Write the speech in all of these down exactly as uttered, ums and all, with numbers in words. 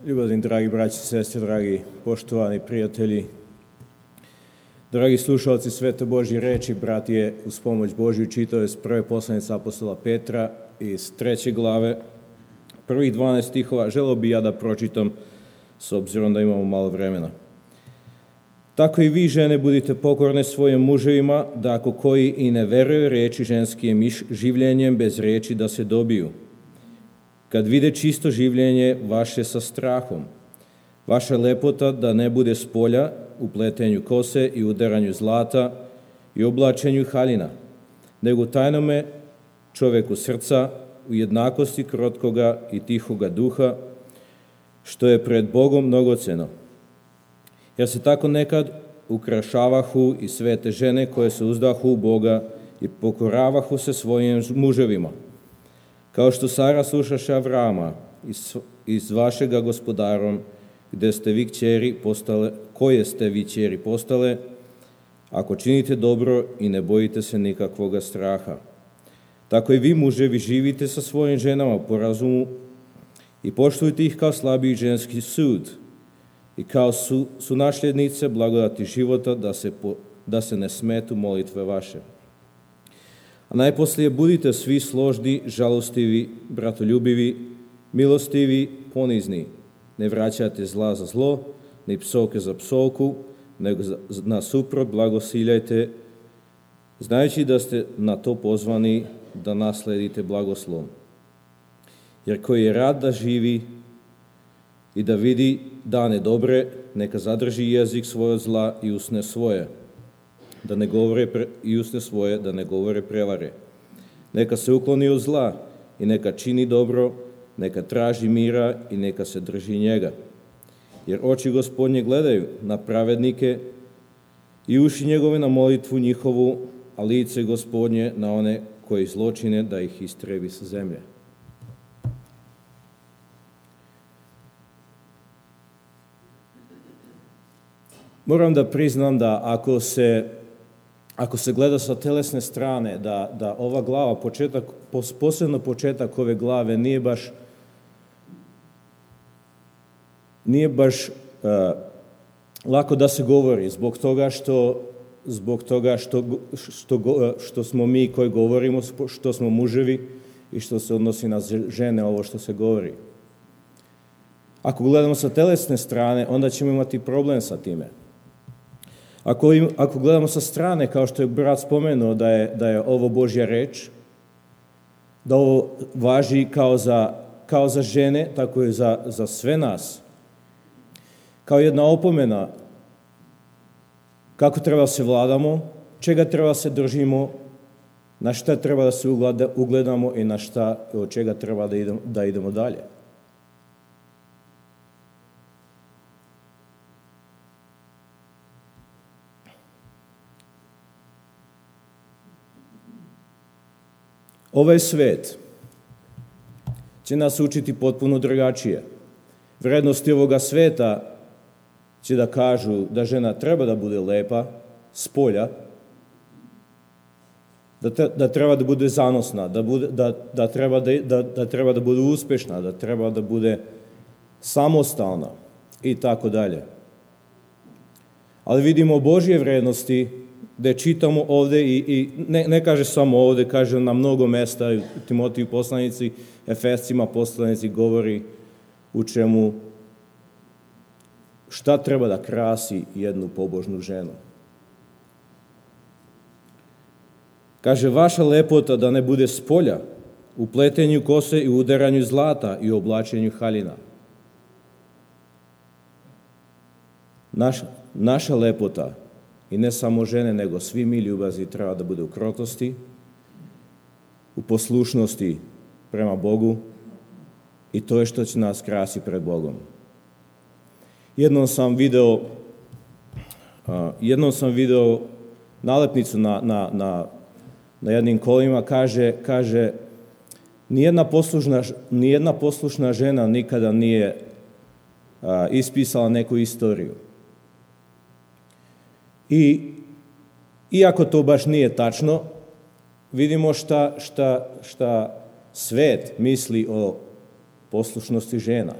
Ljubazni dragi braći i sestre, dragi poštovani prijatelji, dragi slušalci Svete Božje reči, bratije, uz pomoć Božju čitao iz prve poslanice apostola Petra iz treće glave, prvih dvanaest stihova. Želeo bi ja da pročitam s obzirom da imamo malo vremena. Tako i vi, žene, budite pokorne svojim muževima, da ako koji i ne veruju reči ženskim življenjem bez reči da se dobiju. Kad vide čisto življenje vaše sa strahom, vaša lepota da ne bude s polja u pletenju kose i udaranju zlata i oblačenju haljina, nego tajnome čoveku srca u jednakosti krotkoga i tihoga duha, što je pred Bogom mnogoceno. Jer se tako nekad ukrašavahu i svete žene koje se uzdahu u Boga i pokoravahu se svojim muževima. Kao što Sara slušaše Avrama iz, iz vašega gospodarom, gde ste vi kćeri postale, koje ste vi kćeri postale, ako činite dobro i ne bojite se nikakvoga straha. Tako i vi, muževi, živite sa svojim ženama po razumu i poštujte ih kao slabiji ženski sud i kao su, su nasljednice blagodati života, da se, po, da se ne smetu molitve vaše. A najposlije budite svi složni, žalostivi, bratoljubivi, milostivi, ponizni. Ne vraćajte zla za zlo, ni psovke za psovku, nego nasuprot blagosiljajte, znajući da ste na to pozvani da nasledite blagoslov. Jer koji je rad da živi i da vidi dane dobre, neka zadrži jezik svoj od zla i usne svoje. da ne govore pre, i usne svoje, da ne govore prevare. Neka se ukloni od zla i neka čini dobro, neka traži mira i neka se drži njega. Jer oči Gospodnje gledaju na pravednike i uši njegove na molitvu njihovu, a lice Gospodnje na one koji zločine da ih istrebi sa zemlje. Moram da priznam da ako se Ako se gleda sa telesne strane, da, da ova glava, početak, posebno početak ove glave, nije baš, nije baš uh, lako da se govori, zbog toga što, zbog toga što, što, što smo mi koji govorimo, što smo muževi i što se odnosi na žene, ovo što se govori. Ako gledamo sa telesne strane, onda ćemo imati problem sa time. Ako, im, ako gledamo sa strane, kao što je brat spomenuo da je, da je ovo Božja reč, da ovo važi kao za, kao za žene, tako i za, za sve nas, kao jedna opomena kako treba se vladamo, čega treba se držimo, na šta treba da se ugledamo i na šta, od čega treba da idemo, da idemo dalje. Ovaj svet će nas učiti potpuno drugačije. Vrednosti ovoga sveta će da kažu da žena treba da bude lepa, s polja, da, te, da treba da bude zanosna, da, bude, da, da, treba da, da, da treba da bude uspešna, da treba da bude samostalna i tako dalje. Ali vidimo Božje vrednosti gde čitamo ovde i, i ne, ne kaže samo ovde, kaže na mnogo mesta, u Timotiju poslanici, Efescima poslanici govori u čemu, šta treba da krasi jednu pobožnu ženu. Kaže, vaša lepota da ne bude s polja, u pletenju kose i udaranju zlata i oblačenju haljina. Naša, naša lepota, i ne samo žene, nego svi mi ljubazni treba da bude u krotosti, u poslušnosti prema Bogu i to je što će nas krasi pred Bogom. Jednom sam video, uh, jednom sam video nalepnicu na, na, na, na jednim kolima, kaže, kaže nijedna poslušna, nijedna poslušna žena nikada nije uh, ispisala neku istoriju. I iako to baš nije tačno, vidimo šta, šta, šta svet misli o poslušnosti žena.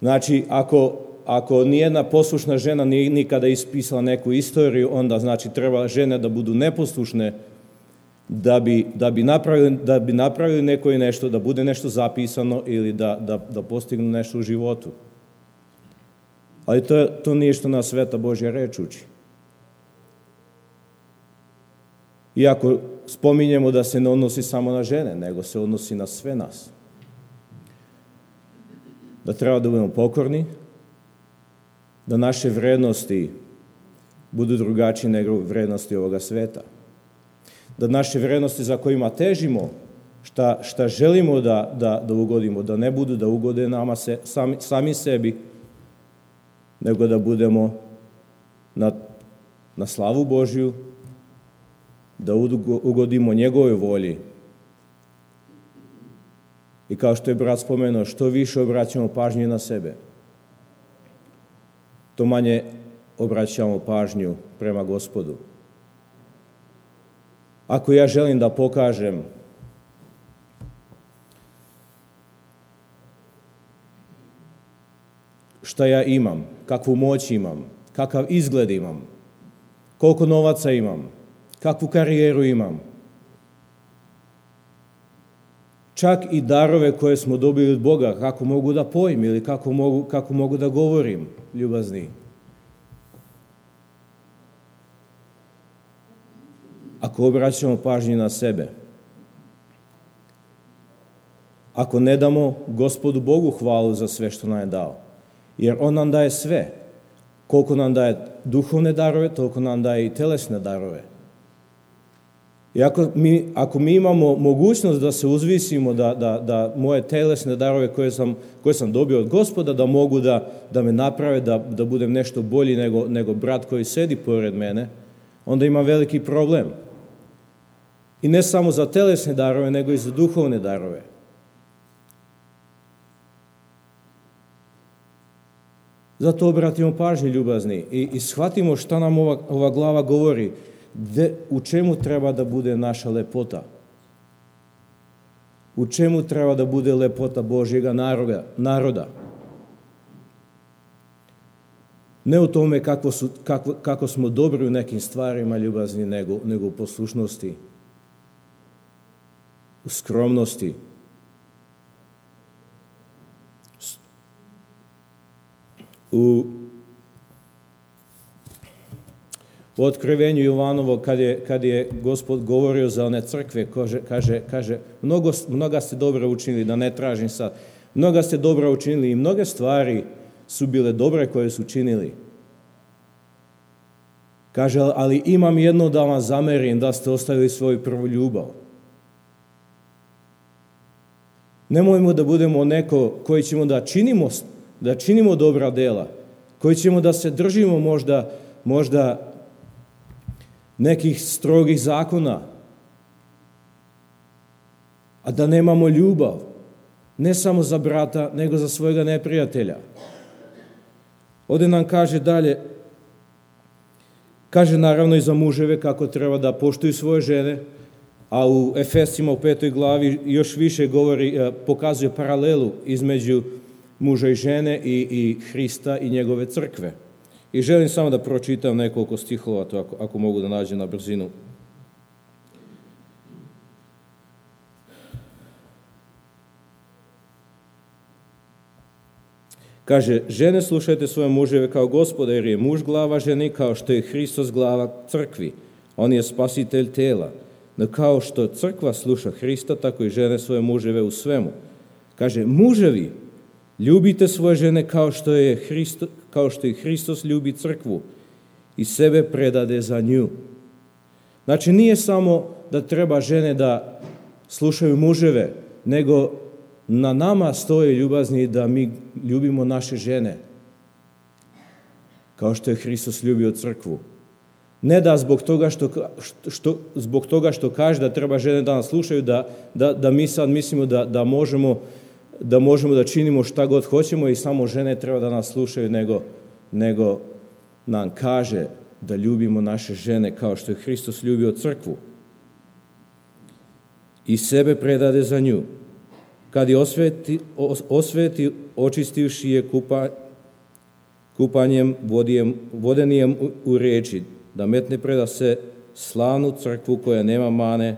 Znači, ako, ako nijedna poslušna žena nije nikada ispisala neku istoriju, onda znači treba žene da budu neposlušne, da bi, da bi, napravili, da bi napravili neko i nešto, da bude nešto zapisano ili da, da, da postignu nešto u životu. Ali to, to nije što nas Sveta Božja reč uči. Iako spominjemo da se ne odnosi samo na žene, nego se odnosi na sve nas. Da treba da budemo pokorni, da naše vrednosti budu drugačije nego vrednosti ovoga sveta. Da naše vrednosti za kojima težimo, šta, šta želimo da, da, da ugodimo, da ne budu da ugode nama se, sami, sami sebi, nego da budemo na, na slavu Božju, da ugodimo njegovoj volji. I kao što je brat spomenuo, što više obraćamo pažnju na sebe, to manje obraćamo pažnju prema Gospodu. Ako ja želim da pokažem šta ja imam, kakvu moć imam, kakav izgled imam, koliko novaca imam, kakvu karijeru imam, čak i darove koje smo dobili od Boga, kako mogu da pojim ili kako mogu, kako mogu da govorim, ljubazni. Ako obraćamo pažnju na sebe, ako ne damo Gospodu Bogu hvalu za sve što nam je dao, jer On nam daje sve, koliko nam daje duhovne darove, toliko nam daje i telesne darove. I ako mi, ako mi imamo mogućnost da se uzvisimo, da, da, da moje telesne darove koje sam, koje sam dobio od Gospoda, da mogu da, da me naprave, da, da budem nešto bolji nego, nego brat koji sedi pored mene, onda imam veliki problem. I ne samo za telesne darove, nego i za duhovne darove. Zato obratimo pažnju, ljubazni, i, i shvatimo šta nam ova, ova glava govori, de, u čemu treba da bude naša lepota. U čemu treba da bude lepota Božjega naroda. naroda. Ne u tome kako, su, kako, kako smo dobri u nekim stvarima, ljubazni, nego, nego u poslušnosti, u skromnosti. U, u otkrivenju Jovanovo, kad je, kad je Gospod govorio za one crkve, kaže, kaže, kaže mnogo, mnoga ste dobro učinili, da ne tražim sad, mnoga ste dobro učinili i mnoge stvari su bile dobre koje su činili. Kaže, ali imam jedno da vam zamerim, da ste ostavili svoju prvu ljubav. Nemojmo da budemo neko koji ćemo da činimo, da činimo dobra dela, koji ćemo da se držimo možda, možda nekih strogih zakona, a da nemamo ljubav, ne samo za brata, nego za svojega neprijatelja. Ovdje nam kaže dalje, kaže naravno i za muževe kako treba da poštuju svoje žene, a u Efesima u petoj glavi još više govori, pokazuje paralelu između muža i žene i, i Hrista i njegove crkve. I želim samo da pročitam nekoliko stihova, to ako, ako mogu da nađem na brzinu. Kaže, žene slušajte svoje muževe kao Gospoda, jer je muž glava ženi, kao što je Hristos glava crkvi. On je spasitelj tela. No kao što crkva sluša Hrista, tako i žene svoje muževe u svemu. Kaže, muževi, ljubite svoje žene kao što je Hristo, kao što i Hristos ljubi crkvu i sebe predade za nju. Znači, nije samo da treba žene da slušaju muževe, nego na nama stoje, ljubazni, da mi ljubimo naše žene, kao što je Hristos ljubio crkvu. Ne da zbog toga što, što, zbog toga što kaže da treba žene da nas slušaju, da, da, da mi sad mislimo da, da, možemo, da možemo da činimo šta god hoćemo i samo žene treba da nas slušaju, nego, nego nam kaže da ljubimo naše žene kao što je Hristos ljubio crkvu i sebe predade za nju. kad je osveti, osveti očistivši je kupa, kupanjem vodijem, vodenijem u, u riječi, da metne preda se slavnu crkvu koja nema mane,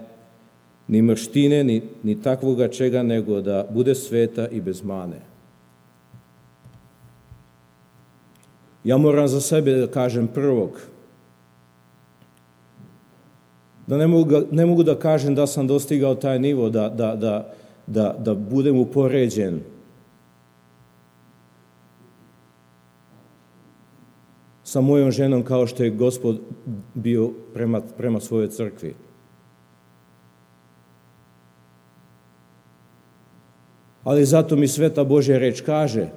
ni mrštine, ni, ni takvoga čega, nego da bude sveta i bez mane. Ja moram za sebe da kažem prvog, da ne mogu, ne mogu da kažem da sam dostigao taj nivo, da, da, da, da, da budem upoređen. Sa mojom ženom kao što je Gospod bio prema, prema svojoj crkvi. Ali zato mi Sveta Božja reč kaže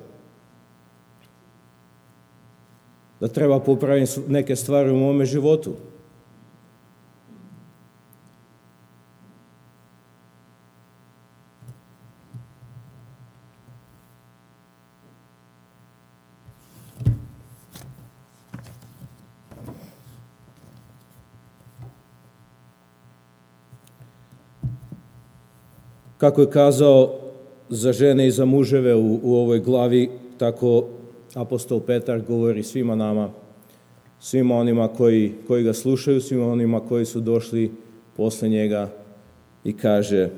da treba popraviti neke stvari u mome životu. Kako je kazao za žene i za muževe u, u ovoj glavi, tako apostol Petar govori svima nama, svima onima koji, koji ga slušaju, svima onima koji su došli posle njega i kaže: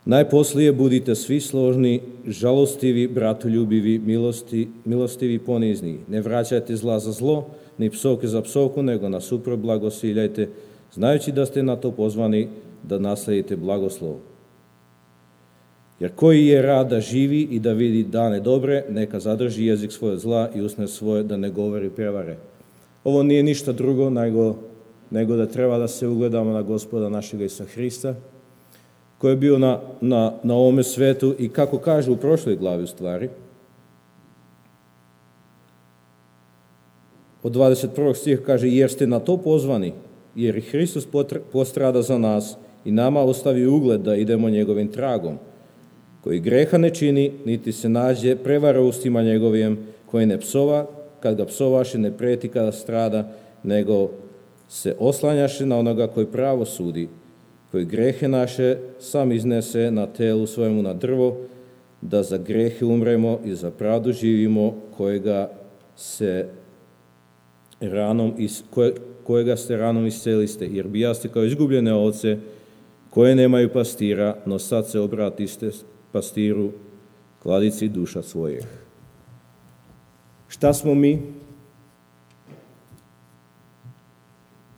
najposlije budite svi složni, žalostivi, bratoljubivi, milosti, milostivi, ponizni. Ne vraćajte zla za zlo, ni psovke za psovku, nego nasuprot blagosiljajte, znajući da ste na to pozvani da nasledite blagoslov. Jer koji je rad da živi i da vidi dane dobre, neka zadrži jezik svoje zla i usne svoje da ne govori prevare. Ovo nije ništa drugo nego, nego da treba da se ugledamo na Gospoda našega Isusa Hrista, koji je bio na, na, na ovome svetu i kako kaže u prošloj glavi u stvari, od dvadeset prvog stiha kaže: jer ste na to pozvani, jer i Hristos postrada za nas i nama ostavi ugled da idemo njegovim tragom, koji greha ne čini, niti se nađe prevara ustima njegovim, koji ne psova, kad ga psovaše, ne preti kada strada, nego se oslanjaše na onoga koji pravo sudi, koji grehe naše sam iznese na telu svojemu na drvo, da za grehe umremo i za pravdu živimo, kojega se ranom is, koje, kojega ste ranom isceliste, jer bijaste kao izgubljene ovce koje nemaju pastira, no sad se obratiste pastiru, kladici duša svojih. Šta smo mi?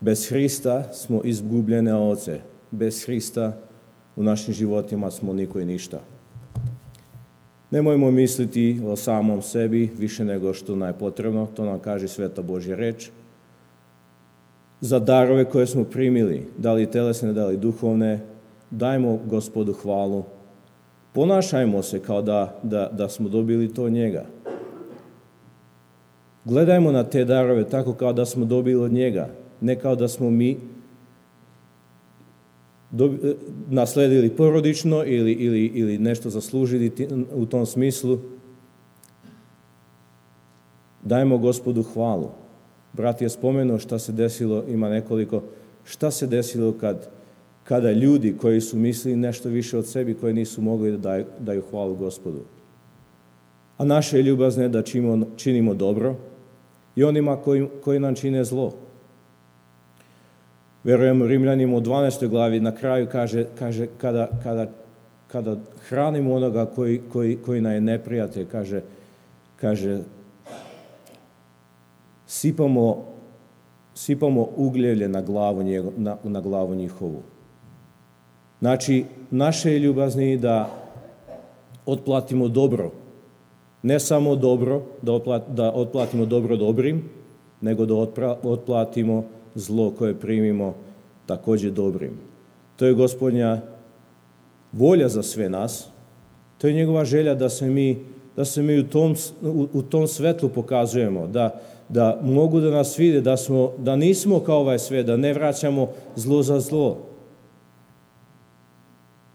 Bez Hrista smo izgubljene ovce. Bez Hrista u našim životima smo niko i ništa. Nemojmo misliti o samom sebi više nego što nam je potrebno, to nam kaže Sveta Božja reč. Za darove koje smo primili, da li telesne, da li duhovne, dajmo Gospodu hvalu. Ponašajmo se kao da, da, da smo dobili to od njega. Gledajmo na te darove tako kao da smo dobili od njega, ne kao da smo mi dobi, nasledili porodično ili, ili, ili nešto zaslužili u tom smislu. Dajmo Gospodu hvalu. Brat je spomenuo šta se desilo, ima nekoliko, šta se desilo kad, kada ljudi koji su mislili nešto više od sebi, koji nisu mogli da daju, daju hvalu Gospodu. A naše je ljubazne da činimo, činimo dobro i onima koji, koji nam čine zlo. Verujem Rimljanima u dvanaestoj glavi na kraju kaže, kaže kada, kada, kada hranimo onoga koji, koji, koji nam je neprijatelj, kaže, kaže sipamo, sipamo ugljevlje na glavu, njego, na, na glavu njihovu. Znači, naše je ljubazni da otplatimo dobro. Ne samo dobro, da, otplat, da otplatimo dobro dobrim, nego da otpra, otplatimo zlo koje primimo također dobrim. To je Gospodnja volja za sve nas. To je njegova želja da se mi, da se mi u, tom, u, u tom svetlu pokazujemo, da, da mogu da nas vide, da, smo, da nismo kao ovaj svet, da ne vraćamo zlo za zlo.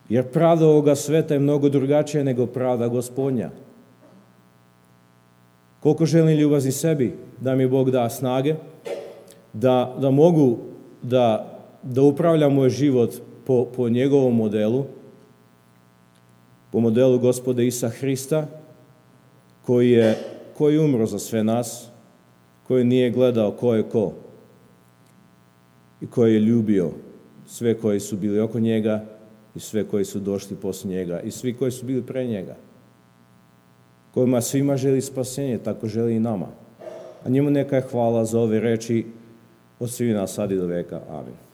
Jer pravda ovoga sveta je mnogo drugačija nego pravda Gospodnja. Koliko želim ljubazni sebi, da mi Bog da snage, da, da mogu da, da upravljam moj život po, po njegovom modelu, po modelu Gospoda Isa Hrista, koji je koji umro za sve nas, koji nije gledao ko je ko i koji je ljubio sve koji su bili oko njega i sve koji su došli posle njega i svi koji su bili pre njega. Kojima svima želi spasenje, tako želi i nama. A njemu neka je hvala za ove reči od svih nas sad i do veka. Amin.